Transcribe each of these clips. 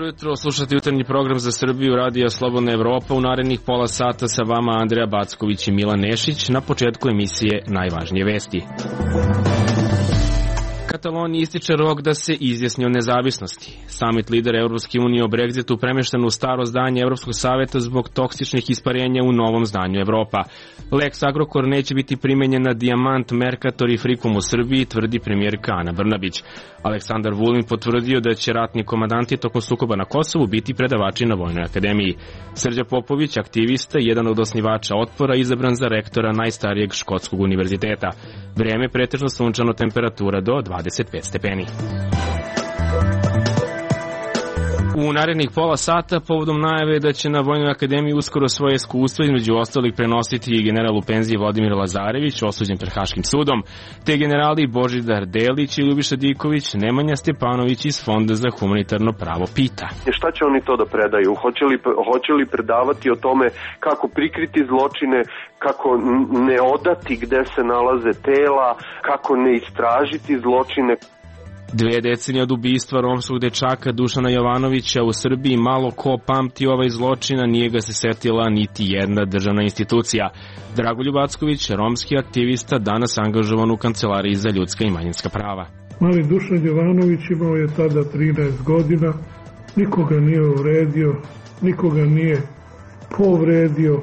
Dobro jutro, slušate jutarnji program za Srbiju, Radio Slobodna Evropa. U narednih pola sata sa vama Andreja Backović i Milan Nešić. Na početku emisije najvažnije vesti. Kataloniji ističe rok da se izjasni o nezavisnosti. Summit lidera Evropske unije o Brexitu premešten u staro zdanje Evropskog saveta zbog toksičnih isparenja u novom zdanju Evropa. Lex Agrokor neće biti primenjen na Dijamant, Mercator i Frikom u Srbiji, tvrdi premijerka Ana Brnabić. Aleksandar Vulin potvrdio da će ratni komandanti tokom sukoba na Kosovu biti predavači na Vojnoj akademiji. Srđa Popović, aktivista, jedan od osnivača Otpora, izabran za rektora najstarijeg škotskog univerziteta. Vreme pretežno sunčano, temperatura do 25 stepeni. U narednih pola sata, povodom najave da će na Vojnoj akademiji uskoro svoje iskustvo između ostalih prenositi general u penziji Vladimir Lazarević, osuđen pred Haškim sudom, te generali Božidar Delić i Ljubiša Diković, Nemanja Stepanović iz Fonda za humanitarno pravo pita. Šta će oni to da predaju? Hoće li predavati o tome kako prikriti zločine, kako ne odati gde se nalaze tela, kako ne istražiti zločine? 2 decenije od ubistva romskog dečaka Dušana Jovanovića u Srbiji, malo ko pamti ovaj zločina, nije ga se setila niti jedna državna institucija. Dragoljub Acković, romski aktivista, danas angažovan u Kancelariji za ljudska i manjinska prava. Mali Dušan Jovanović imao je tada 13 godina, nikoga nije uvredio, nikoga nije povredio,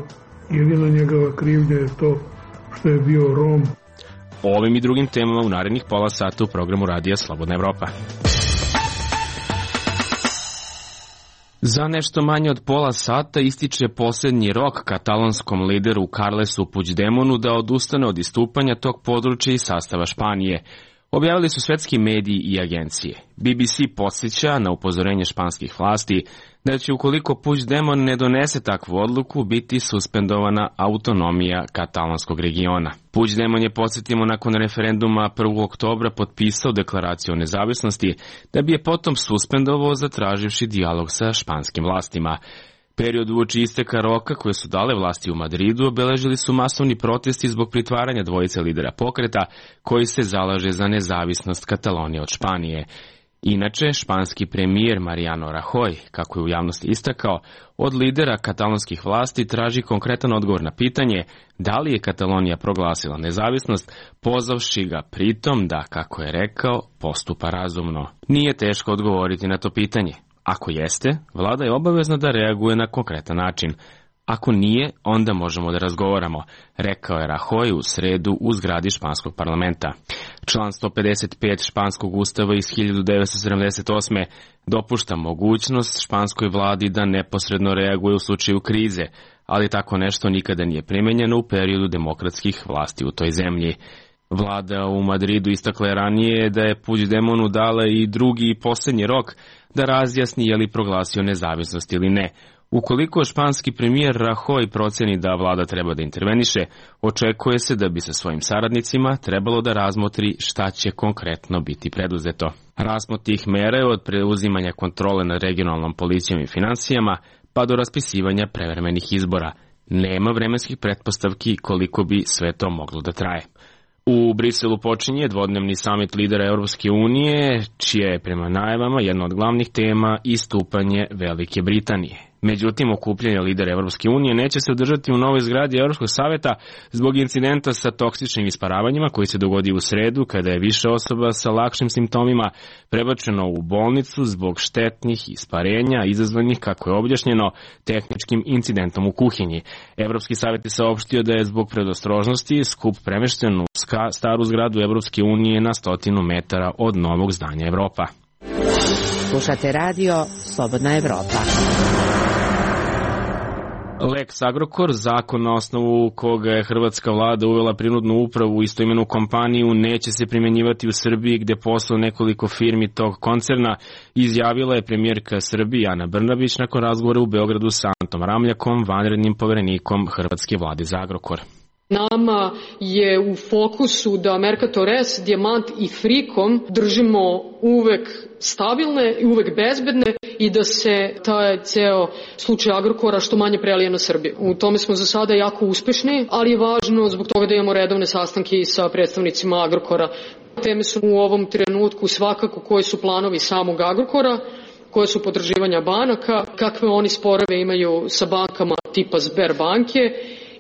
jedina njegova krivnja je to što je bio Rom. O ovim i drugim temama u narednih pola sata u programu Radija Slobodna Evropa. Za nešto manje od pola sata ističe posljednji rok katalonskom lideru Carlesu Puigdemonu da odustane od istupanja tog područja i sastava Španije. Objavili su svetski mediji i agencije. BBC podsjeća na upozorenje španskih vlasti da će, ukoliko Puigdemon ne donese takvu odluku, biti suspendovana autonomija katalonskog regiona. Puigdemon je, podsjetimo, nakon referenduma 1. oktobra potpisao deklaraciju o nezavisnosti, da bi je potom suspendovao zatraživši dijalog sa španskim vlastima. Period uoči isteka roka koje su dale vlasti u Madridu obeležili su masovni protesti zbog pritvaranja dvojice lidera pokreta koji se zalaže za nezavisnost Katalonije od Španije. Inače, španski premijer Mariano Rajoy, kako je u javnosti istakao, od lidera katalonskih vlasti traži konkretan odgovor na pitanje da li je Katalonija proglasila nezavisnost, pozvavši ga pritom da, kako je rekao, postupa razumno. Nije teško odgovoriti na to pitanje. Ako jeste, vlada je obavezna da reaguje na konkretan način. Ako nije, onda možemo da razgovaramo, rekao je Rajoy u sredu u zgradi španskog parlamenta. Član 155 španskog ustava iz 1978. dopušta mogućnost španskoj vladi da neposredno reaguje u slučaju krize, ali tako nešto nikada nije primenjeno u periodu demokratskih vlasti u toj zemlji. Vlada u Madridu istakla je ranije da je Puigdemonu dala i drugi i posljednji rok da razjasni je li proglasio nezavisnost ili ne. Ukoliko španski premijer Rajoy proceni da vlada treba da interveniše, očekuje se da bi sa svojim saradnicima trebalo da razmotri šta će konkretno biti preduzeto. Raspon tih mera je od preuzimanja kontrole nad regionalnom policijom i finansijama pa do raspisivanja prevremenih izbora. Nema vremenskih pretpostavki koliko bi sve to moglo da traje. U Briselu počinje dvodnevni samit lidera Evropske unije, čija je prema najavama jedna od glavnih tema istupanje Velike Britanije. Međutim, okupljanje lidera Evropske unije neće se održati u novoj zgradi Evropskog saveta zbog incidenta sa toksičnim isparavanjima koji se dogodio u sredu kada je više osoba sa lakšim simptomima prebačeno u bolnicu zbog štetnih isparenja izazvanih, kako je objašnjeno, tehničkim incidentom u kuhinji. Evropski savet je saopštio da je zbog predostrožnosti skup premešten u staru zgradu Evropske unije na 100 metara od novog zdanja Evropa. Slušate radio Slobodna Evropa. Lex Agrokor, zakon na osnovu koga je hrvatska vlada uvela prinudnu upravu u istoimenu kompaniju, neće se primjenjivati u Srbiji gde posluje nekoliko firmi tog koncerna, izjavila je premijerka Srbije Ana Brnabić nakon razgovora u Beogradu sa Antom Ramljakom, vanrednim poverenikom hrvatske vlade za Agrokor. Nama je u fokusu da Mercator S, Dijamant i Frikom držimo uvek stabilne i uvek bezbedne i da se taj ceo slučaj Agrokora što manje prelije na Srbiju. U tome smo za sada jako uspešni, ali je važno zbog toga da imamo redovne sastanke i sa predstavnicima Agrokora. Teme su u ovom trenutku svakako koji su planovi samog Agrokora, koje su potraživanja banaka, kakve oni sporove imaju sa bankama tipa Sberbanke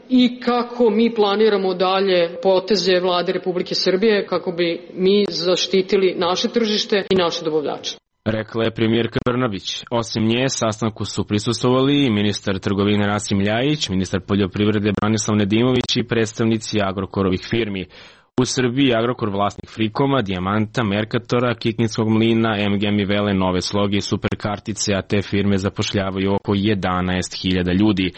i kako mi planiramo dalje poteze Vlade Republike Srbije kako bi mi zaštitili naše tržište i naše dobavljače. Rekla je premijerka Brnabić. Osim nje, sastanku su prisustvovali i ministar trgovine Rasim Ljajić, ministar poljoprivrede Branislav Nedimović i predstavnici Agrokorovih firmi. U Srbiji Agrokor vlasnik Frikoma, Dijamanta, Merkatora, Kikindskog mlina, MGM i Vele, Nove sloge i Superkartice, a te firme zapošljavaju oko 11.000 ljudi.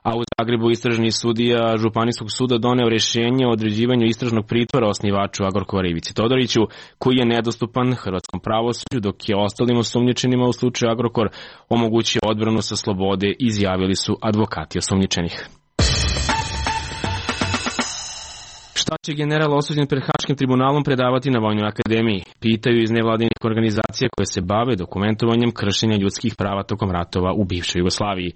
A u Zagrebu istražni sudija Županijskog suda doneo rješenje o određivanju istražnog pritvora osnivaču Agrokora Ivici Todoriću, koji je nedostupan hrvatskom pravosuđu, dok je ostalim osumnjičenima u slučaju Agrokor omogućio odbranu sa slobode, izjavili su advokati osumnjičenih. Šta će general osuđen pred Haškim tribunalom predavati na Vojnoj akademiji? Pitaju iz nevladinih organizacija koje se bave dokumentovanjem kršenja ljudskih prava tokom ratova u bivšoj Jugoslaviji.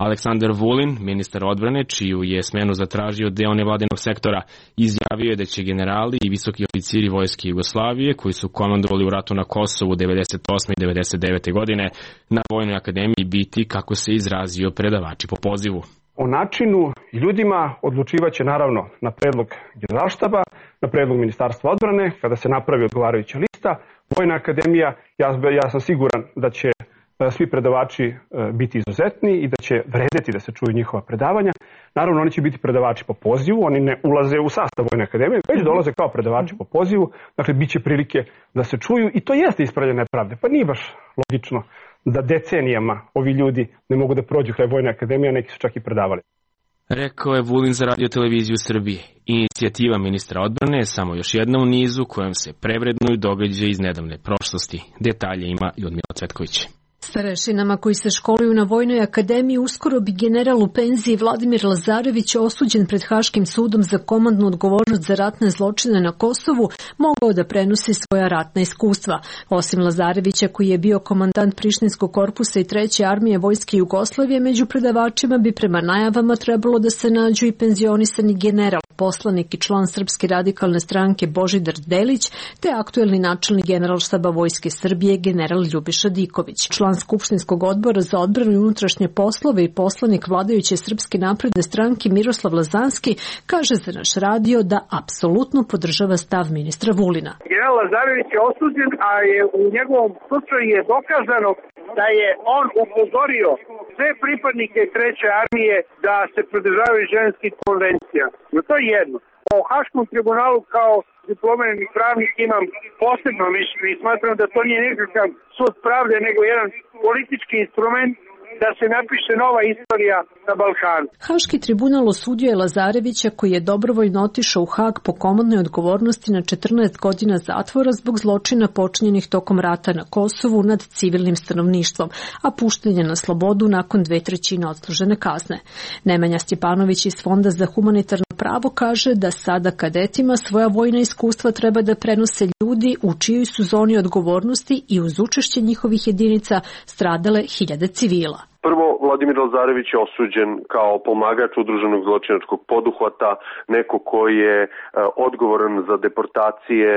Aleksandar Vulin, ministar odbrane, čiju je smenu zatražio deo nevladinog sektora, izjavio je da će generali i visoki oficiri vojske Jugoslavije, koji su komandovali u ratu na Kosovu 98. i 99. godine, na Vojnoj akademiji biti, kako se izrazio, predavači po pozivu. O načinu i ljudima odlučivaće naravno na predlog Generalštaba, na predlog Ministarstva odbrane, kada se napravi odgovarajuća lista. Vojna akademija, ja sam siguran da će svi predavači biti izuzetni i da će vredeti da se čuju njihova predavanja. Naravno, oni će biti predavači po pozivu, oni ne ulaze u sastav Vojne akademije, već dolaze kao predavači po pozivu, dakle, bit će prilike da se čuju i to jeste ispravljanje nepravde. Pa nije baš logično da decenijama ovi ljudi ne mogu da prođu kraj Vojne akademije, a neki su čak i predavali. Rekao je Vulin za Radio-televiziju Srbije. Inicijativa ministra odbrane je samo još jedna u nizu kojom se prevrednuju događaje iz nedavne prošlosti. Detalje ima Ljudmila Cvetković. Starešinama koji se školuju na Vojnoj akademiji uskoro bi general u penziji Vladimir Lazarević, osuđen pred Haškim sudom za komandnu odgovornost za ratne zločine na Kosovu, mogao da prenosi svoja ratna iskustva. Osim Lazarevića, koji je bio komandant Prištinskog korpusa i 3. armije vojske Jugoslavije, među predavačima bi prema najavama trebalo da se nađu i penzionisani general, poslanik i član Srpske radikalne stranke Božidar Delić, te aktuelni načelnik Generalštaba Vojske Srbije general Ljubiša Diković. Član Skupštinskog odbora za odbranu i unutrašnje poslove i poslanik vladajuće Srpske napredne stranke Miroslav Lazanski kaže za naš radio da apsolutno podržava stav ministra Vulina. General Lazarević je osuđen, a je u njegovom slučaju je dokazano da je on upozorio sve pripadnike 3. armije da se pridržavaju ženskih konvencija. No to je jedno. O Haškom tribunalu kao diplomirani pravnik imam posebno mišljenje i smatram da to nije nekakav sud pravde, nego jedan politički instrument da se napiše nova istorija na Balkanu. Haški tribunal osudio je Lazarevića, koji je dobrovoljno otišao u Hag po komandnoj odgovornosti na 14 godina zatvora zbog zločina počinjenih tokom rata na Kosovu nad civilnim stanovništvom, a pušten je na slobodu nakon 2/3 odslužene kazne. Nemanja Stjepanović iz Fonda za humanitarno pravo kaže da sada kadetima svoja vojna iskustva treba da prenose ljudi u čijoj su zoni odgovornosti i uz učešće njihovih jedinica stradale hiljade civila. Prvo, Vladimir Lazarević je osuđen kao pomagač udruženog zločinačkog poduhvata, neko koji je odgovoran za deportacije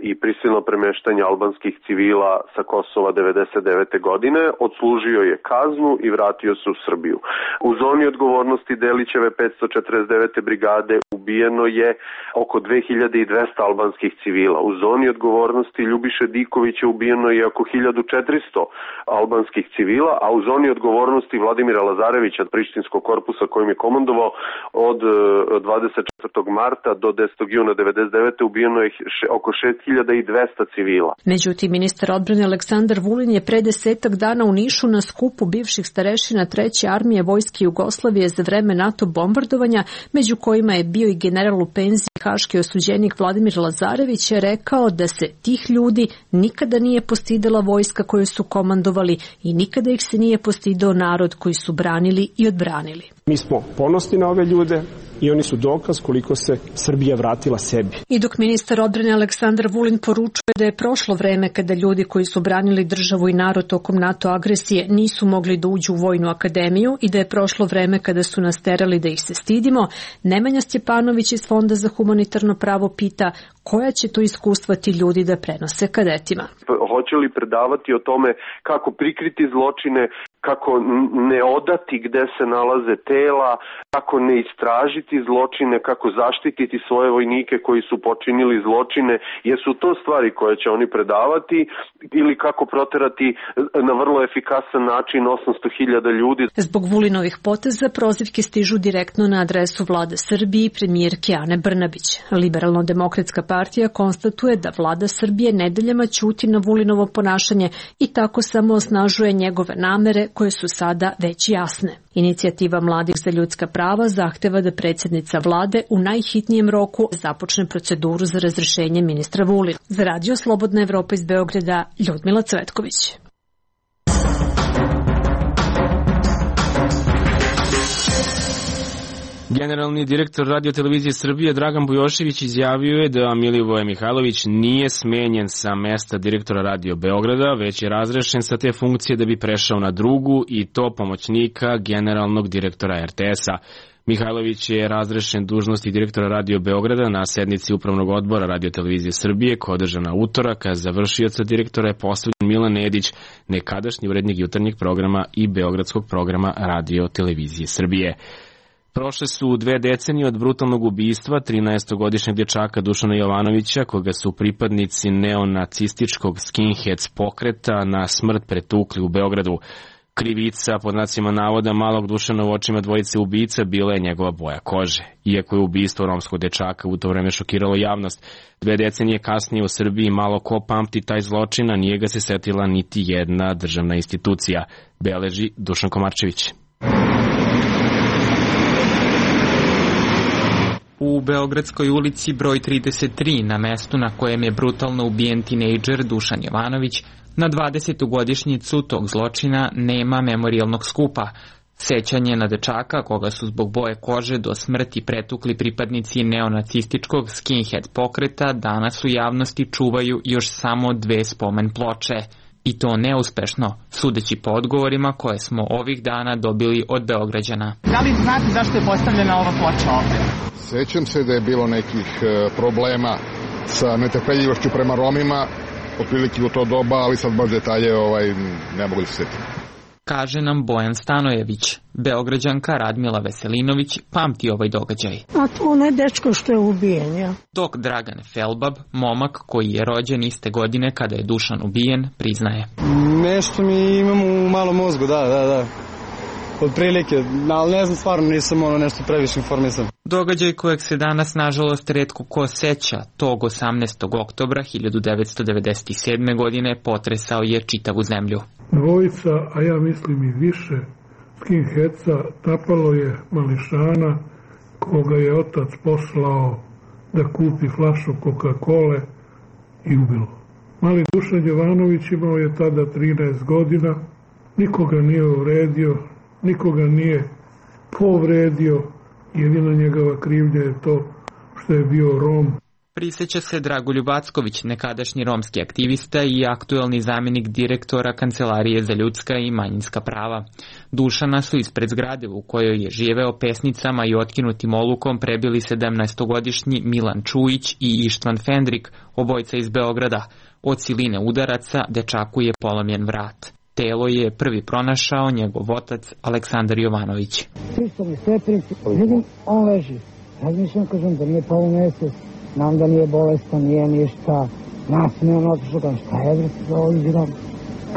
i prisilno premeštanje albanskih civila sa Kosova 99. godine, odslužio je kaznu i vratio se u Srbiju. U zoni odgovornosti Delićeve 549. brigade ubijeno je oko 2200 albanskih civila. U zoni odgovornosti Ljubiše Dikovića ubijeno je oko 1400 albanskih civila, a u zoni odgovornosti Vladimira Lazarevića, Prištinskog korpusa kojim je komandovao od 24. marta do 10. juna 99. ubijeno je oko 6200 civila. Međutim, ministar odbrane Aleksandar Vulin je pre 10 dana u Nišu na skupu bivših starešina 3. armije vojske Jugoslavije za vreme NATO bombardovanja, među kojima je bio i general u penziji haški osuđenik Vladimir Lazarević, je rekao da se tih ljudi nikada nije postidela vojska koju su komandovali i nikada ih se nije postidao narod koji su branili i odbranili. Mi smo ponosni na ove ljude i oni su dokaz koliko se Srbija vratila sebi. I dok ministar odbrane Aleksandar Vulin poručuje da je prošlo vreme kada ljudi koji su branili državu i narod tokom NATO agresije nisu mogli da uđu u Vojnu akademiju i da je prošlo vreme kada su nas terali da ih se stidimo, Nemanja Stjepanović iz Fonda za humanitarno pravo pita koja će to iskustva ti ljudi da prenose kadetima. Hoće li predavati o tome kako prikriti zločine, kako ne odati gde se nalaze tela, kako ne istražiti zločine, kako zaštititi svoje vojnike koji su počinili zločine, jesu to stvari koje će oni predavati, ili kako proterati na vrlo efikasan način 800.000 ljudi. Zbog Vulinovih poteza prozivke stižu direktno na adresu Vlade Srbije i premijerke Ane Brnabić. Liberalno-demokratska partija konstatuje da Vlada Srbije nedeljama ćuti na Vulinovo ponašanje i tako samo osnažuje njegove namere koje su sada već jasne. Inicijativa Mladih za ljudska prava zahteva da predsjednica vlade u najhitnijem roku započne proceduru za razrešenje ministra Vulina. Za Radio Slobodna Evropa iz Beograda, Ljudmila Cvetković. Generalni direktor Radio-televizije Srbije Dragan Bujošević izjavio je da Milivoje Mihajlović nije smenjen sa mesta direktora Radio Beograda, već je razrešen sa te funkcije da bi prešao na drugu i to pomoćnika generalnog direktora RTS-a. Mihajlović je razrešen dužnosti direktora Radio Beograda na sednici Upravnog odbora Radio-televizije Srbije koja je održana utorak, a za vršioca direktora je postavljen Milan Nedić, nekadašnji urednik jutarnjeg programa i beogradskog programa Radio-televizije Srbije. Prošle su 2 decenije od brutalnog ubistva 13-godišnjeg dječaka Dušana Jovanovića, koga su pripadnici neonacističkog skinheads pokreta na smrt pretukli u Beogradu. Krivica, pod znacima navoda, malog Dušana u očima dvojice ubica bila je njegova boja kože. Iako je ubistvo romskog dečaka u to vreme šokiralo javnost, 2 decenije kasnije u Srbiji malo ko pamti taj zločin, a nije ga se setila niti jedna državna institucija, beleži Dušan Komarčević. U Beogradskoj ulici broj 33, na mestu na kojem je brutalno ubijen tinejdžer Dušan Jovanović, na 20. godišnjicu tog zločina nema memorijalnog skupa. Sećanje na dečaka, koga su zbog boje kože do smrti pretukli pripadnici neonacističkog skinhead pokreta, danas u javnosti čuvaju još samo 2 spomen ploče. I to neuspešno, sudeći po odgovorima koje smo ovih dana dobili od Beograđana. Da li znate zašto je postavljena ova ploča ovde? Sećam se da je bilo nekih problema sa netrpeljivošću prema Romima, otprilike u to doba, ali sad baš detalje ne mogu da se sjetim. Kaže nam Bojan Stanojević. Beograđanka Radmila Veselinović pamti ovaj događaj. A to onaj dečko što je ubijen, ja. Dok Dragan Felbab, momak koji je rođen iste godine kada je Dušan ubijen, priznaje. Nešto mi imam u malom mozgu, da. Od prilike, ali ne znam, stvarno nisam nešto previše informisan. Događaj kojeg se danas nažalost retko ko seća, tog 18. oktobra 1997. godine potresao je čitavu zemlju. Dvojica, a ja mislim i više, skinheadsa napalo je mališana koga je otac poslao da kupi flašu Coca-Cole i ubilo. Mali Dušan Jovanović imao je tada 13 godina, nikoga nije uvredio, nikoga nije povredio, jedina njegova krivnja je to što je bio Rom. Priseća se Dragoljub Acković, nekadašnji romski aktivista i aktuelni zamjenik direktora Kancelarije za ljudska i manjinska prava. Dušana su ispred zgrade u kojoj je živeo pesnicama i otkinutim olukom prebili 17-godišnji Milan Čujić i Ištvan Fendrik, obojca iz Beograda. Od siline udaraca dečaku je polomljen vrat. Telo je prvi pronašao njegov otac Aleksandar Jovanović. Pristom i stepenici, vidim, on leži. Razmišljam, kažem da nije pao mjesec, znam da nije bolestan, nije ništa. Nasmijem otišao, kažem šta je bre za ovo izgledam.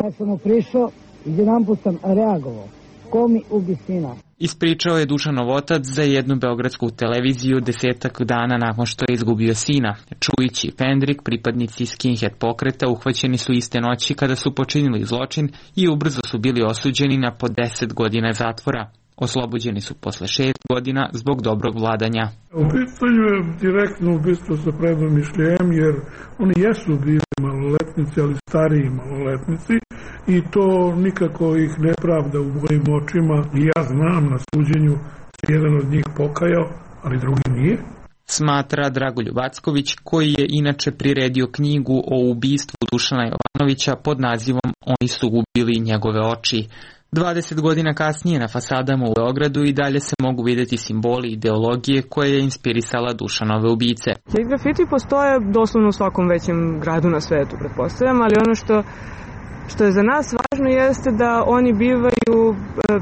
Kad sam mu prišao, jedanput sam reagovao. Ko mi ubi sina? Ispričao je Dušanov otac za jednu beogradsku televiziju 10 dana nakon što je izgubio sina. Čujić i Fendrik, pripadnici skinhead pokreta, uhvaćeni su iste noći kada su počinili zločin i ubrzo su bili osuđeni na po 10 godina zatvora. Oslobođeni su posle 6 godina zbog dobrog vladanja. U pitanju je direktno ubistvo sa predomišljajem, jer oni jesu bili maloletnici, ali stariji maloletnici, i to nikako ih ne pravda u mojim očima. I ja znam, na suđenju se jedan od njih pokajao, ali drugi nije. Smatra Dragoljub Acković, koji je inače priredio knjigu o ubistvu Dušana Jovanovića pod nazivom Oni su ubili njegove oči. 20 godina kasnije na fasadama u Beogradu i dalje se mogu vidjeti simboli ideologije koje je inspirisala Dušanove ubice. Grafiti postoje doslovno u svakom većem gradu na svetu, pretpostavljam, ali ono što je za nas važno jeste da oni bivaju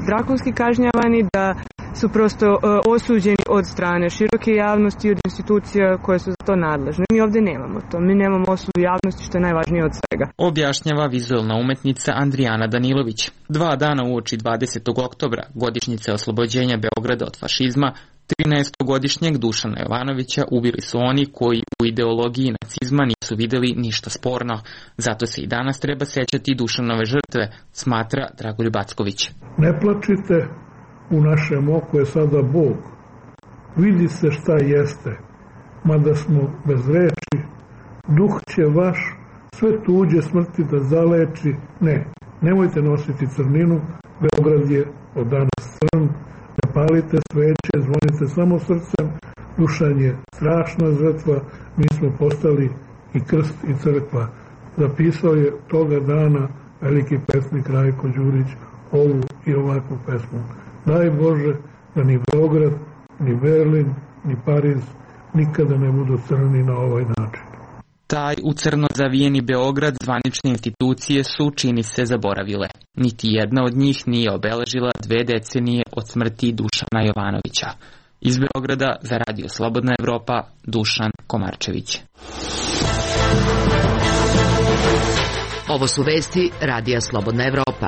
drakonski kažnjavani, da su prosto osuđeni od strane široke javnosti, od institucija koje su za to nadležne. Mi ovdje nemamo to. Mi nemamo osudu javnosti, što je najvažnije od svega. Objašnjava vizualna umetnica Andrijana Danilović. 2 dana uoči 20. oktobra, godišnjice oslobođenja Beograda od fašizma, 13-godišnjeg Dušana Jovanovića ubili su oni koji u ideologiji nacizma nisu vidjeli ništa sporno. Zato se i danas treba sećati Dušanove žrtve, smatra Dragoljub Acković. Ne plačite, u našem oku je sada Bog. Vidi se šta jeste, mada smo bez reči. Duh će vaš sve tuđe smrti da zaleči. Ne, nemojte nositi crninu, Beograd je od danas crn. Ne palite sveće, zvonite samo srcem. Dušan je strašna žrtva, mi smo postali i krst i crkva. Zapisao je toga dana veliki pesnik Rajko Đurić ovu i ovakvu pesmu. Daj Bože da ni Beograd, ni Berlin, ni Pariz nikada ne budu crni na ovaj način. Taj u crno zavijeni Beograd zvanične institucije su, čini se, zaboravile. Niti jedna od njih nije obeležila 2 decenije od smrti Dušana Jovanovića. Iz Beograda za Radio Slobodna Evropa, Dušan Komarčević. Ovo su vesti Radija Slobodna Evropa.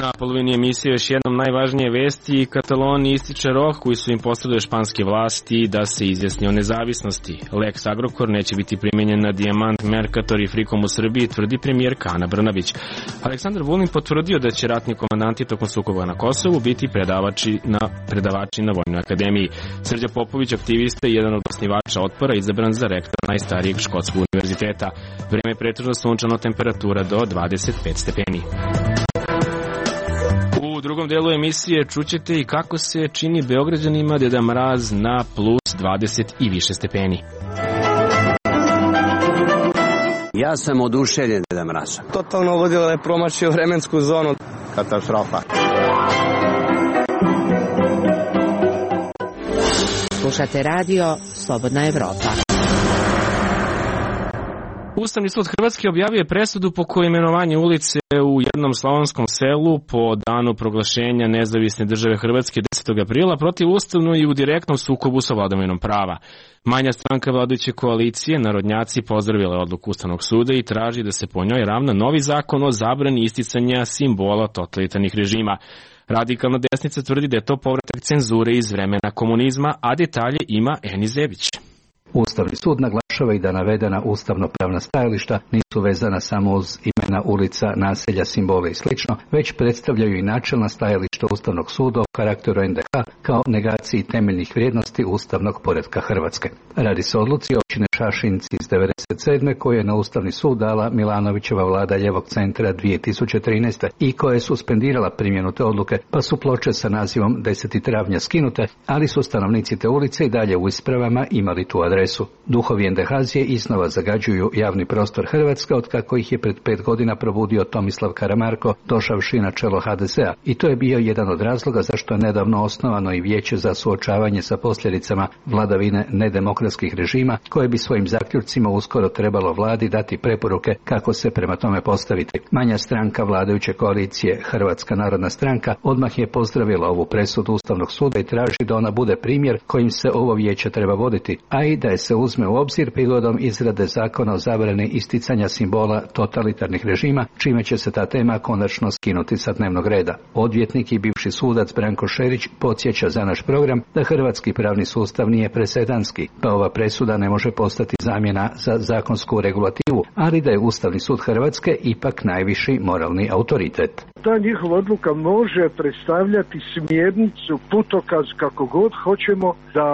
Na polovini emisije još jednom najvažnije vesti. Kataloniji ističe rok koji su im postavile španske vlasti da se izjasni o nezavisnosti. Lex Agrokor neće biti primenjen na Dijamant, Mercator i Frikom u Srbiji, tvrdi premijerka Ana Brnabić. Aleksandar Vulin potvrdio da će ratni komandanti tokom sukoba na Kosovu biti predavači na Vojnoj akademiji. Srđa Popović, aktivista i jedan od osnivača Otpora, izabran za rektora najstarijeg škotskog univerziteta. Vreme je pretežno sunčano, temperatura do 25 stepeni. U drugom delu emisije čućete i kako se čini Beograđanima Deda Mraz na plus 20 i više stepeni. Ja sam oduševljen Deda Mrazom. Totalno vodilo je promašio vremensku zonu. Katastrofa. Slušate radio Slobodna Evropa. Ustavni sud Hrvatske objavio presudu po kojoj imenovanje ulice u jednom slavonskom selu po danu proglašenja nezavisne države Hrvatske 10. aprila protivustavno i u direktnom sukobu sa vladavinom prava. Manja stranka vladajuće koalicije, Narodnjaci, pozdravila odluku Ustavnog suda i traži da se po njoj ravna novi zakon o zabrani isticanja simbola totalitarnih režima. Radikalna desnica tvrdi da je to povratak cenzure iz vremena komunizma, a detalje ima Eni Zebić. Ustavni sud naglašava i da navedena ustavno-pravna stajališta nisu vezana samo uz imena ulica, naselja, simbole i sl., već predstavljaju i načelna stajališta Ustavnog suda o karakteru NDH kao negaciji temeljnih vrijednosti ustavnog poretka Hrvatske. Radi se o odluci općine Šašinci iz 1997. koje je na Ustavni sud dala Milanovićeva vlada Ljevog centra 2013. i koja je suspendirala primjenu te odluke, pa su ploče sa nazivom 10. travnja skinute, ali su stanovnici te ulice i dalje u ispravama imali tu adresu. Duhovi NDH-zije iznova zagađuju javni prostor Hrvatske otkako ih je pred 5 godina probudio Tomislav Karamarko, došavši na čelo HDZ-a, i to je bio jedan od razloga zašto je nedavno osnovano i vijeće za suočavanje sa posljedicama vladavine nedemokratskih režima, koje bi svojim zaključcima uskoro trebalo vladi dati preporuke kako se prema tome postaviti. Manja stranka vladajuće koalicije, Hrvatska narodna stranka, odmah je pozdravila ovu presudu Ustavnog suda i traži da ona bude primjer kojim se ovo vijeće treba voditi, a i da je se uzme u obzir prigodom izrade zakona o zabrani isticanja simbola totalitarnih režima, čime će se ta tema konačno skinuti sa dnevnog reda. Odvjetnik i bivši sudac Branko Šerić podsjeća za naš program da hrvatski pravni sustav nije presedanski, pa ova presuda ne može postati zamjena za zakonsku regulativu, ali da je Ustavni sud Hrvatske ipak najviši moralni autoritet. Ta njihova odluka može predstavljati smjernicu, putokaz, kako god hoćemo, da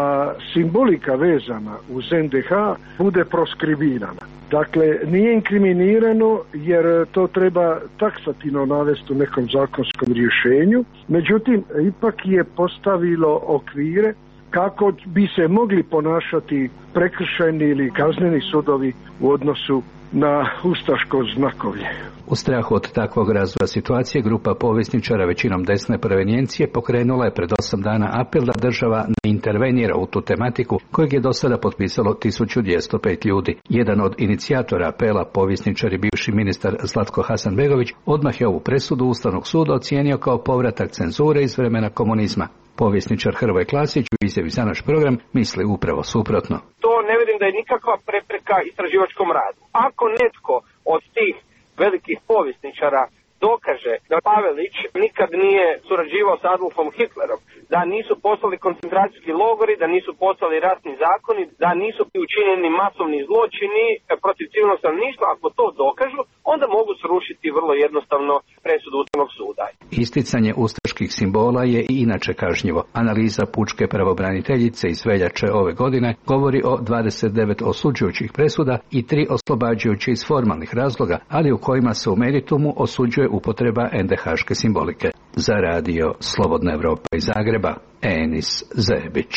simbolika vezana uz NDH bude proskribirana. Dakle, nije inkriminirano jer to treba taksativno navesti u nekom zakonskom rješenju, međutim, ipak je postavilo okvire kako bi se mogli ponašati prekršajni ili kazneni sudovi u odnosu na ustaško znakovlje. U strahu od takvog razvoja situacije, grupa povjesničara većinom desne provenijencije pokrenula je pred 8 dana apel da država ne intervenira u tu tematiku, kojeg je do sada potpisalo 1205 ljudi. Jedan od inicijatora apela, povjesničar i bivši ministar Zlatko Hasanbegović, odmah je ovu presudu Ustavnog suda ocijenio kao povratak cenzure iz vremena komunizma. Povjesničar Hrvoje Klasić u izjavi za naš program misli upravo suprotno. To ne vidim da je nikakva prepreka istraživačkom radu. Ako netko od tih velikih povjesničara dokaže da Pavelić nikad nije surađivao s Adolfom Hitlerom, da nisu poslali koncentracijski logori, da nisu poslali ratni zakoni, da nisu učinjeni masovni zločini protiv civilnog stanovništva, ako to dokažu, onda mogu srušiti vrlo jednostavno presudu Ustavnog suda. Isticanje ustaških simbola je i inače kažnjivo. Analiza pučke pravobraniteljice iz veljače ove godine govori o 29 osuđujućih presuda i 3 oslobađajuće iz formalnih razloga, ali u kojima se u meritumu osuđuje upotreba NDH-ške simbolike. Za radio Slobodna Evropa iz Zagreba, Enis Zebić.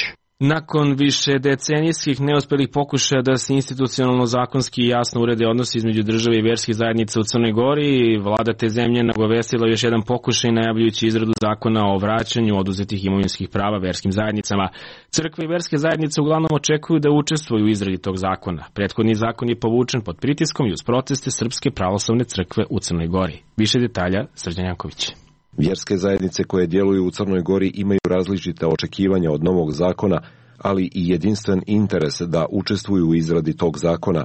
Nakon više decenijskih neuspjelih pokušaja da se institucionalno zakonski jasno urede odnosi između države i vjerskih zajednica u Crnoj Gori, vlada te zemlje nagovestila još jedan pokušaj najavljujući izradu zakona o vraćanju oduzetih imovinskih prava vjerskim zajednicama. Crkve i vjerske zajednice uglavnom očekuju da učestvuju u izradi tog zakona. Prethodni zakon je povučen pod pritiskom i uz proteste Srpske pravoslavne crkve u Crnoj Gori. Više detalja, Srđan Janković. Vjerske zajednice koje djeluju u Crnoj Gori imaju različite očekivanja od novog zakona, ali i jedinstven interes da učestvuju u izradi tog zakona.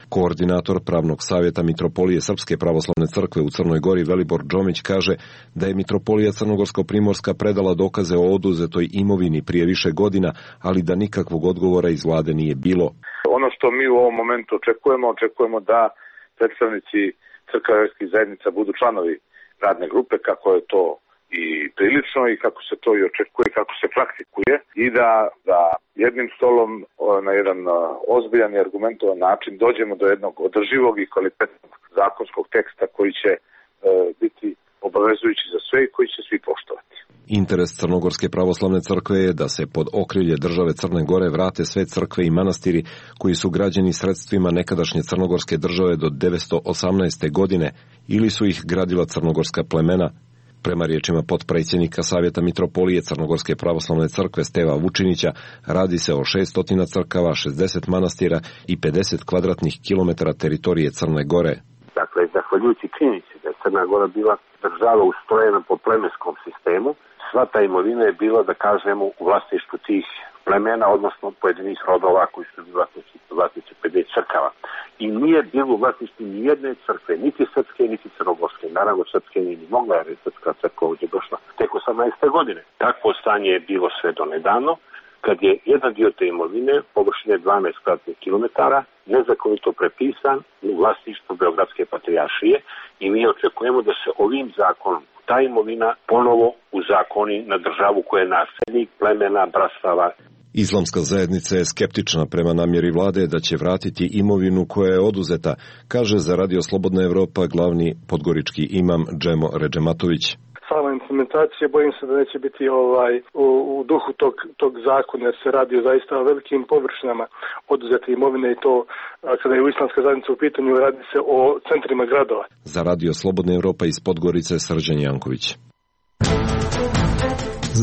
Koordinator Pravnog savjeta Mitropolije Srpske pravoslavne crkve u Crnoj Gori Velibor Džomić kaže da je Mitropolija Crnogorsko-Primorska predala dokaze o oduzetoj imovini prije više godina, ali da nikakvog odgovora iz vlade nije bilo. Ono što mi u ovom momentu očekujemo da predstavnici crkva vjerskih zajednica budu članovi radne grupe, kako je to i prilično i kako se to i očekuje, kako se praktikuje i da jednim stolom na jedan ozbiljan i argumentovan način dođemo do jednog održivog i kvalitetnog zakonskog teksta koji će biti obavezujući za sve i koji će svi poštovati. Interes Crnogorske pravoslavne crkve je da se pod okrilje države Crne Gore vrate sve crkve i manastiri koji su građeni sredstvima nekadašnje crnogorske države do 918. godine ili su ih gradila crnogorska plemena. Prema riječima potpredsjednika Savjeta Mitropolije Crnogorske pravoslavne crkve Steva Vučinića, radi se o 600 crkava, 60 manastira i 50 kvadratnih kilometara teritorije Crne Gore. Dakle, zahvaljujući činjenici da je Crna Gora bila država ustrojena po plemenskom sistemu, sva ta imovina je bila, da kažemo, u vlasništvu tih plemena, odnosno pojedinih rodova koji su bili vlasnici 50 crkava. I nije bilo u vlasništvu ni jedne crkve, niti srpske, niti crnogorske. Naravno, srpske nije ni mogla, jer je srpska crkva ovdje došla tek 18. godine. Takvo stanje je bilo sve do nedavno, kad je jedan dio te imovine, površine 12 kvadratnih kilometara, nezakonito prepisan u vlasništvu Beogradske patrijaršije i mi očekujemo da se ovim zakonom ta imovina ponovo uzakoni na državu koja je nasljednik plemena, brastava. Islamska zajednica je skeptična prema namjeri vlade da će vratiti imovinu koja je oduzeta, kaže za Radio Slobodna Evropa glavni podgorički imam Džemo Redžematović. Sama implementacija, bojim se da neće biti u duhu tog zakona, jer se radi o zaista velikim površinama oduzete imovine i to kada je islamska zajednica u pitanju, radi se o centrima gradova. Za Radio Slobodna Evropa iz Podgorice Srđan Janković.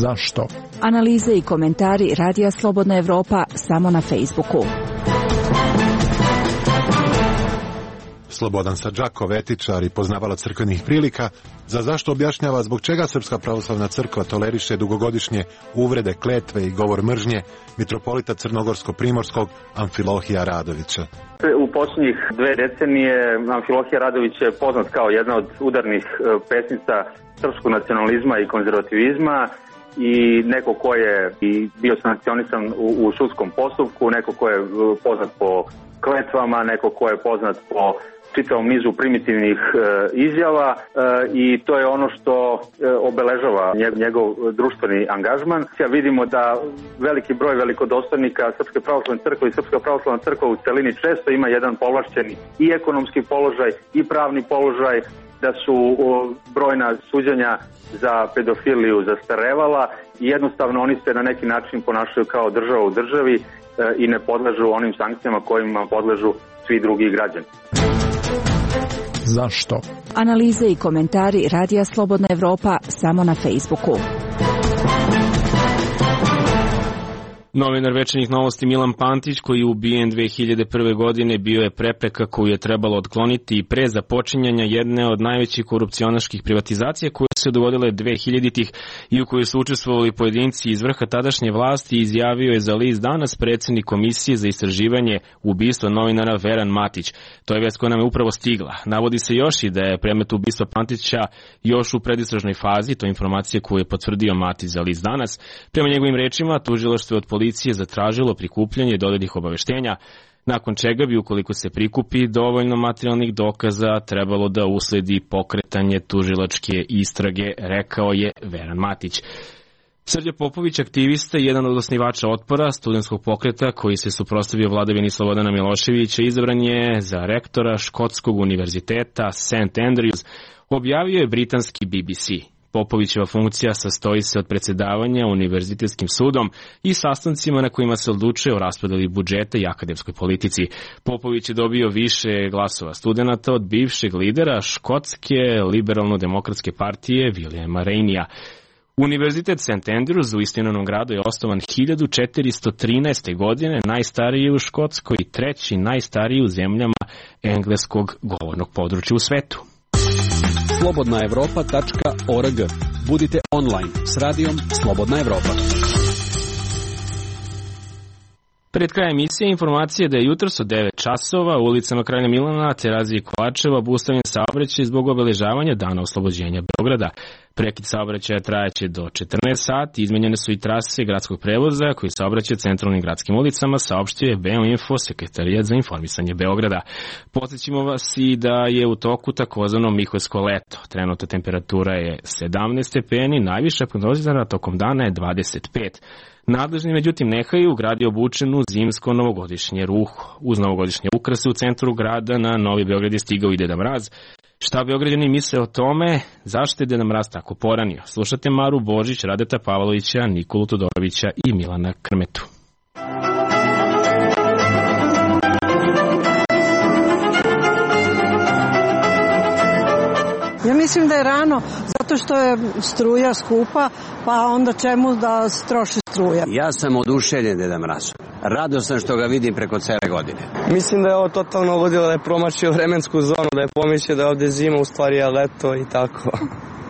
Zašto? Analize i komentari Radija Slobodna Evropa samo na Facebooku. Slobodan Sadžakov, etičar i poznavalac crkvenih prilika, za zašto objašnjava zbog čega Srpska pravoslavna crkva toleriše dugogodišnje uvrede, kletve i govor mržnje mitropolita Crnogorsko-Primorskog Amfilohija Radovića. U posljednjih 2 decenije Amfilohija Radović je poznat kao jedna od udarnih pesnica srpskog nacionalizma i konzervativizma i neko ko je i bio sankcionisan u sudskom postupku, neko ko je poznat po kletvama, neko ko je poznat po čitavom nizu primitivnih izjava i to je ono što obeležava njegov društveni angažman. Vidimo da veliki broj velikodostojnika Srpske pravoslavne crkve i Srpska pravoslavna crkva u celini često ima jedan povlašćeni i ekonomski položaj i pravni položaj, da su brojna suđenja za pedofiliju zastarevala i jednostavno oni se na neki način ponašaju kao država u državi i ne podležu onim sankcijama kojima podležu svi drugi građani. Zašto? Analize i komentari Radija Slobodna Evropa samo na Facebooku. Novinar Večernjih novosti Milan Pantić, koji je ubijen 2001. godine, bio je prepreka koju je trebalo otkloniti i pre započinjanja jedne od najvećih korupcionaških privatizacija koje se dogodile 2000-ih i u kojoj su učestvovali pojedinci iz vrha tadašnje vlasti, izjavio je za list Danas predsjednik Komisije za istraživanje ubistva novinara Veran Matić. To je vest koja nam je upravo stigla. Navodi se još i da je predmet ubistva Pantića još u predistražnoj fazi, to je informacija koju je potvrdio Matić za list Danas. Prema njegovim rečima, tužilaštvo od policije zatražilo prikupljanje dodatnih obaveštenja, nakon čega bi, ukoliko se prikupi dovoljno materijalnih dokaza, trebalo da usledi pokretanje tužilačke istrage, rekao je Veran Matić. Srđa Popović, aktivista i jedan od osnivača Otpora, studentskog pokreta koji se suprotstavio vladavini Slobodana Miloševića, izabran je za rektora Škotskog univerziteta St. Andrews, objavio je britanski BBC. Popovićeva funkcija sastoji se od predsedavanja univerzitetskim sudom i sastancima na kojima se odlučuje o raspodeli budžeta i akademskoj politici. Popović je dobio više glasova studenata od bivšeg lidera Škotske liberalno-demokratske partije Williama Rainija. Univerzitet St. Andrews u Istinovom gradu je osnovan 1413. godine, najstariji u Škotskoj i treći najstariji u zemljama engleskog govornog područja u svetu. slobodnaevropa.org. Budite online s radijom Slobodna Evropa. Pred krajem emisije informacije da je jutros od 9 časova u ulicama Kralja Milana, Terazije i Kovačeva obustavljen saobraćaj zbog obeležavanja Dana oslobođenja Beograda. Prekid saobraćaja trajaće do 14 sati, izmenjene su i trase gradskog prevoza koji saobraća centralnim gradskim ulicama, saopštio je Beoinfo, Sekretarijat za informisanje Beograda. Podsjećamo vas i da je u toku takozvano Mihojsko leto. Trenutna temperatura je 17 stepeni, najviša prognozirana tokom dana je 25. Nadležni međutim nehaju u grad je obučen u zimsko novogodišnje ruho. Uz novogodišnje ukrase u centru grada na Novi Beograd je stigao i Deda Mraz. Šta Beograđani misle o tome, zašto je Deda Mraz tako poranio? Slušate Maru Božić, Radeta Pavlovića, Nikolu Todorovića i Milana Krmetu. Ja mislim da je rano, zato što je struja skupa, pa onda čemu da troši struja. Ja sam oduševljen Deda Mrazom. Radostan što ga vidim preko cele godine. Mislim da je ovo totalno ludilo, da je promašio vremensku zonu, da je pomislio da je ovde zima, u stvari je leto i tako.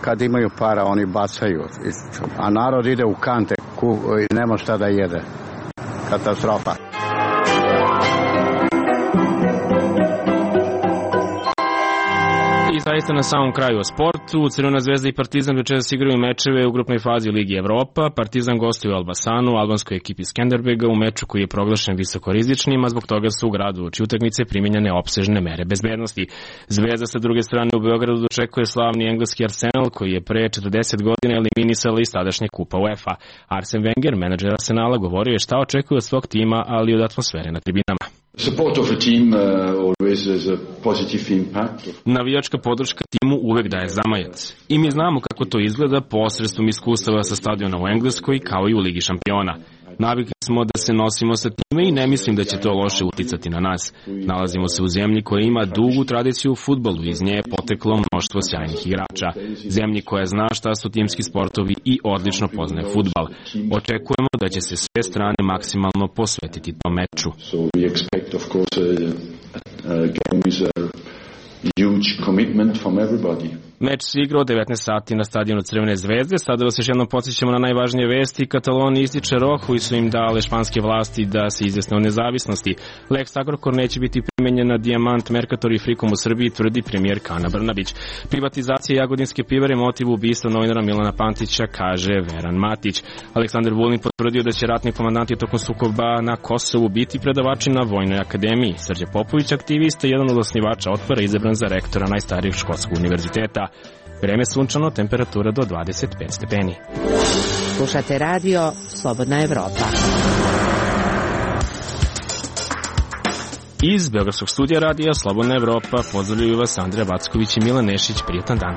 Kad imaju para, oni bacaju, a narod ide u kante i nema šta da jede. Katastrofa. I zaista na samom kraju o sportu. Crvena zvezda i Partizan večeras igraju mečeve u grupnoj fazi Ligi Evropa. Partizan gostuje u Elbasanu, albanskoj ekipi Skenderbega, u meču koji je proglašen visokorizičnim, a zbog toga su u gradu uoči utakmice primenjene opsežne mere bezbednosti. Zvezda sa druge strane u Beogradu dočekuje slavni engleski Arsenal koji je pre 40 godina eliminisala iz tadašnje kupa UEFA. Arsene Wenger, menadžer Arsenala, govorio je šta očekuje od svog tima, ali i od atmosfere na tribinama. Navijačka podrška timu uvek daje zamajac. I mi znamo kako to izgleda posredstvom iskustava sa stadiona u Engleskoj kao i u Ligi šampiona. Navikli smo da se nosimo sa time i ne mislim da će to loše uticati na nas. Nalazimo se u zemlji koja ima dugu tradiciju u fudbalu, iz nje je poteklo mnoštvo sjajnih igrača. Zemlji koja zna šta su timski sportovi i odlično poznaje fudbal. Očekujemo da će se sve strane maksimalno posvetiti tom meču. Meč se igra od 19 sati na stadionu Crvene zvezde. Sada vas još jednom podsjećamo na najvažnije vesti. Kataloniji ističe rok koji su im dale španske vlasti da se izjasne o nezavisnosti. Lex Agrokor neće biti primenjen na Dijamant, Mercator i Frikom u Srbiji, tvrdi premijerka Ana Brnabić. Privatizacija Jagodinske pivare motiv ubistva novinara Milana Pantića, kaže Veran Matić. Aleksandar Vulin potvrdio da će ratni komandanti tokom sukoba na Kosovu biti predavači na Vojnoj akademiji. Srđa Popović, aktivista, jedan od osnivača Otpora, izabran za rektora najstarijeg škotskog univerziteta. Vreme sunčano, temperatura do 25 stepeni. Slušate radio Slobodna Evropa. Iz Beogradskog studija radija Slobodna Evropa pozdravljaju vas Andreja Vacković i Milan Nešić. Prijatan dan.